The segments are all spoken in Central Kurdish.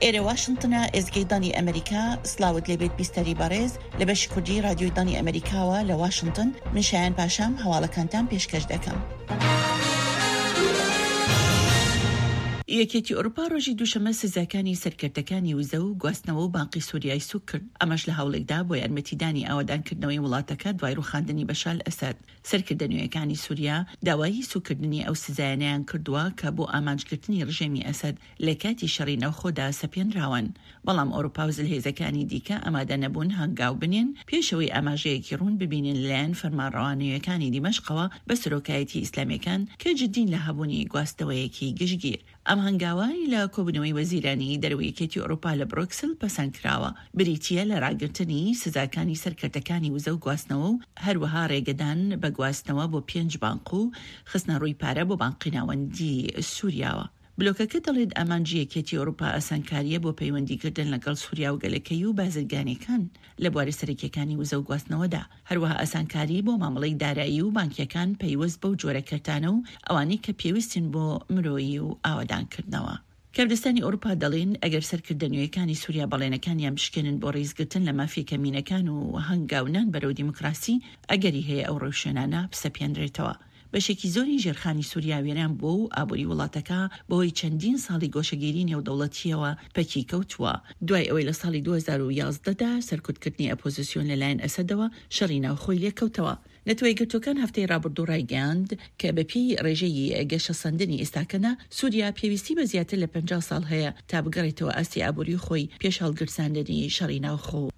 ئێرە واشنتنە، ئێزگەی دەنگی ئەمەریکا، سڵاوت لێبێت بیستەری بەڕێز، لە بەشی کوردی ڕادیۆی دەنگی ئەمەریکاوە لە واشنتن، من شایان پاشام هەواڵەکانتان پێشکەش دەکەم. یەکێتی ئەوروپا ڕۆژی دووشەممە سزاکانی سەر کەرتەکانی وزە و گواستنەوە و بانقی سوریای سووک کرد، ئەمەش لە هەوڵێکدا بۆ یارمەتیدانی ئاوەدانکردنەوەی وڵاتەکە دوای ڕووخاندنی بەشار ئەسەد. سەرکردە نوێیەکانی سوریا داوای سووککردنی ئەو سزایانەیان کردووە کە بۆ ئامانجگرتنی ڕژێمی ئەسەد لە کاتی شەڕی ناوخۆدا سەپێنراون، بەڵام ئەوروپا و زلهێزەکانی دیکە ئامادە نەبوون هەنگاو بنێن پێش ئەوەی ئاماژەیەکی ڕوون ببینن لەلایەن فەرمانڕەوا نوێیەکانی دیمەشقەوە بە سەرۆکایەتی ئیسلامییەکان کە جدین لە هەبوونی گواستنەوەیەکی گشتگیر. ئەم هەنگاوە لە کۆبوونەوەی وەزیرانی دەرەوەی یەکێتی ئەوروپا لە برۆکسل پەسەند کراوە، بریتییە لە ڕاگرتنی سزاکانی سەر کەرتەکانی وزە و گواستنەوە و هەروەها ڕێگەدان بە گواستنەوە بۆ پێنج بانق و خستنەڕووی پارە بۆ بانقی ناوەندی سوریاوە. بلۆکەکە دەڵێت ئامانجی یەکێتی ئەوروپا ئاسانکارییە بۆ پەیوەندیکردن لەگەڵ سوریا و گەلەکەی و بازرگانییەکان لە بوارە سەرەکییەکانی وزە و گواستنەوەدا، هەروەها ئاسانکاری بۆ مامەڵەی دارایی و بانکییەکان پەیوەست بەو جۆرە کەرتانە و ئەوانەی کە پێویستن بۆ مرۆیی و ئاوەدانکردنەوە. کاردستانی ئەوروپا دەڵێن ئەگەر سەرکردە نوێیەکانی سوریا بەڵێنەکانیان بشکێنن بۆ ڕیزگرتن لە مافی کەمینەکان و هەنگاونان بەرەو دیموکراسی، ئەگەری هەیە ئەو ڕێوشوێنانە بسەپێنرێتەوە. بەشێکی زۆری ژێرخانی سوریا وێران بووە و ئابووری وڵاتەکە بەهۆی چەندین ساڵی گۆشەگیری نێودەوڵەتییەوە پەکی کەوتووە، دوای ئەوەی لە ساڵی 2011 دا سەرکوتکردنی ئەپۆزسیۆن لەلایەن ئەسەدەوە شەڕی ناوخۆی لێکەوتەوە. نەتەوەیەکگرتووەکان هەفتەی ڕابردوو ڕایگەیاند کە بەپێی ڕێژەی گەشەسەندنی ئێستاکەدا سوریا پێویستی بە زیاتر لە 50 ساڵ هەیە تا بگەڕێتەوە ئاستی ئابووری خۆی پێش هەڵگرساندنی شەڕی ناوخۆ.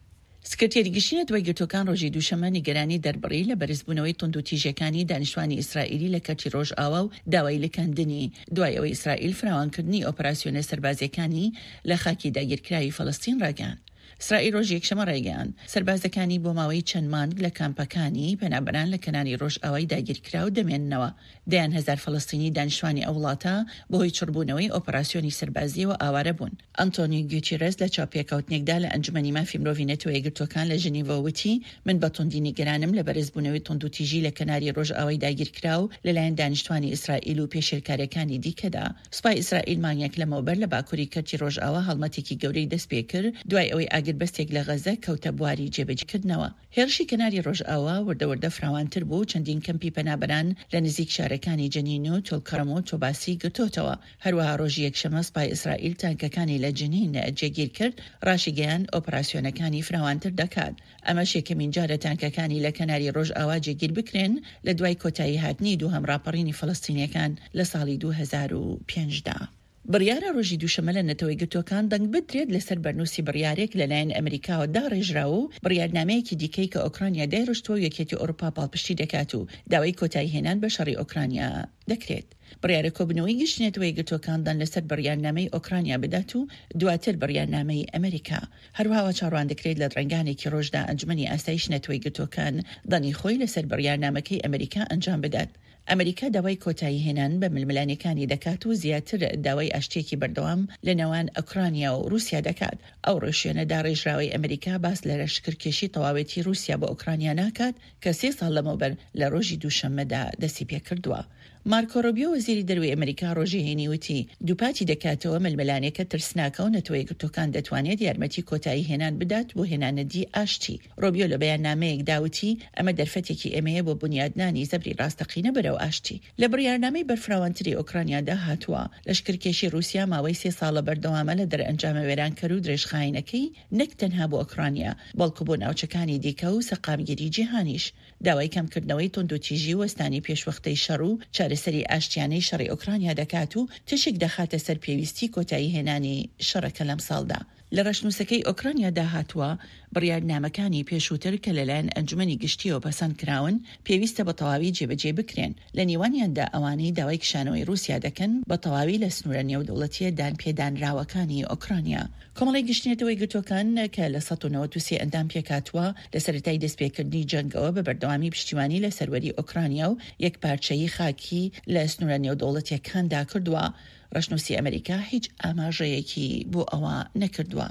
سکرتێری گشتی نەتەوەیەکگرتووەکان ڕۆژی دووشەممە نیگەرانی دەربڕی لە بەرزبوونەوەی توندوتیژیەکانی دانیشتوانی ئیسرائیلی لە کەرتی ڕۆژئاوا و داوای لکاندنی دوای ئەوەی ئیسرائیل فراوانکردنی ئۆپەراسیۆنە سەربازیەکانی لە خاکی داگیرکراوی فەلەستین ڕاگەیاند. ئیسرائیل ڕۆژی یەکشەممە ڕایگەیاند، سەربازەکانی بۆ ماوەی چەند مانگ لە کامپەکانی پەنابەران لە کەناری ڕۆژئاوای داگیرکراو دەمێننەوە. دەیان هەزار فەلەستینی دانیشتوانی ئەو وڵاتە بەهۆی چڕبوونەوەی ئۆپەراسیۆنی سەربازییەوە ئاوارە بوون. ئەنتۆنیو گوتیرێس لە چاوپێکەوتنێکدا لە ئەنجومەنی مافی مرۆڤی نەتەوە یەکگرتووەکان لە ژنیڤ وتی، من بە توندی نیگەرانم لە بەرزبوونەوەی توندوتیژی لە کەناری ڕۆژئاوای داگیرکراو لەلایەن دانیشتوانی ئیسرائیل و پێشێلکارییەکانی دیکەدا. سوپای ئیسرائیل مانگێک لەمەوبەر لە باکووری کەرتی ڕۆژئاوا هەڵمەتێکی گەورەی دەستپێکرد دوای ئەوەی ئاگربەستێک لە غەززە کەوتە بواری جێبەجێکردنەوە. هێرشی کەناری ڕۆژئاوا وردە وردە فراوانتر بوو و چەندین کەمپی پەنابەران لە نزیک شارەکانی جەنین و تولکەرم و تۆباسی گرتۆتەوە. هەروەها ڕۆژی یەکشەممە سوپای ئیسرائیل تانکەکانی لە جنین جێگیر کرد، ڕاشیگەیاند ئۆپراسیۆنەکانی فراوانتر دەکات. ئەمەش یەکەمین جارە تانکەکانی لە کەناری ڕۆژئاوا جێگیر بکرێن لە دوای کۆتایی هاتنی دووهەم ڕاپەڕینی فەلەستینیەکان لە ساڵی 2005 دا. بڕیارە ڕۆژی دووشەممە لە نەتەوەیەکگرتووەکان دەنگ بدرێت لەسەر بەرنووسی بڕیارێک لەلایەن ئەمریکاوە داڕێژراوە و بڕیارنامەیەکی دیکەی کە ئۆکرانیا دایڕشتووە و یەکێتی ئەوروپا پاڵپشتی دەکات و داوای کۆتاییهێنان بە شەڕی ئۆکرانیا دەکرێت. بڕیارە کۆبوونەوەی گشتی نەتەوەیەکگرتووەکان دەنگ لەسەر بڕیارنامەی ئۆکرانیا بدات و دواتر بڕیارنامەی ئەمریکا. هەروەها وا چاوەڕوان دەکرێت لە درەنگانێکی ڕۆژدا ئەنجومەنی ئاسایشی نەتەوەیەکگرتووەکان دەنگی خۆی لەسەر بڕیارنامەکەی ئەمریکا ئەنجام بدات. ئەمریکا داوای کۆتاییهێنان بە ململانێکانی دەکات و زیاتر داوای ئاشتییەکی بەردەوام لە نێوان ئۆکرانیا و رووسیا دەکات. ئەو ڕێوشوێنە داڕێژراوەی ئەمریکا باس لە لەشکرکێشی تەواوێتی رووسیا بۆ ئۆکرانیا ناکات کە سێ ساڵ لەمەوبەر لە رۆژی دووشەممەدا دەستیپێکردووە. مارکۆ رۆبیۆ وەزیری دەروەی ئەمریکا رۆژی هەینی وتی، دووپاتی دەکاتەوە ململانێکە ترسناکە و نەتەوەیەکگرتووەکان دەتوانێت یارمەتی کۆتایی هێنان بدات بۆ هێنانەدی ئاشتی. رۆبیۆ لە بەیاننامەیەکدا وتی، ئەمە دەرفەتێکی ئێمەیە بۆ بونیادنانی زەبری راستەقینە بەرەو ئاشتی. لە بڕیارنامەی بەرفراوانتری ئۆکرانیادا هاتووە، لەشکرکێشی رووسیا ماوەی سێ ساڵە بەردەوامە لە دەرئەنجامە وێرانکەر و درێژخایەنەکەی نەک تەنها بۆ ئۆکرانیا، بەڵکو بۆ ناوچەکانی دیکە و سەقامگیری جیهانیش. داوای کەمکردنەوەی توندوتیژی و وەستانی پێشوەختەی شەڕ و چارەسەری ئاشتیانەی شەڕی ئۆکرانیا دەکات و تیشک دەخاتە سەر پێویستی کۆتاییهێنانی شەڕەکە لەمساڵدا. لە ڕەشنووسەکەی ئۆکرانیادا هاتووە، بڕیارنامەکانی پێشووتر کە لەلایەن ئەنجومەنی گشتییەوە پەسەند کراون، پێویستە بە تەواوی جێبەجێ بکرێن، لە نێوانیاندا ئەوانەی داوای کشانەوەی ڕووسیا دەکەن بە تەواوی لە سنوورە نێودەوڵەتییە دانپێدانراوەکانی ئۆکرانیا. کۆمەڵەی گشتی نەتەوە یەکگرتووەکان کە لە 193 ئەندام پێکهاتووە، لە سەرەتای دەستپێکردنی جەنگەوە بە بەردەوامی پشتیوانی لە سەروەری ئۆکرانیا و یەکپارچەیی خاکی لە سنوورە نێودەوڵەتییەکاندا کردووە. ڕەشنووسی ئەمریکا هیچ ئاماژەیەکی بۆ ئەوە نەکردووە.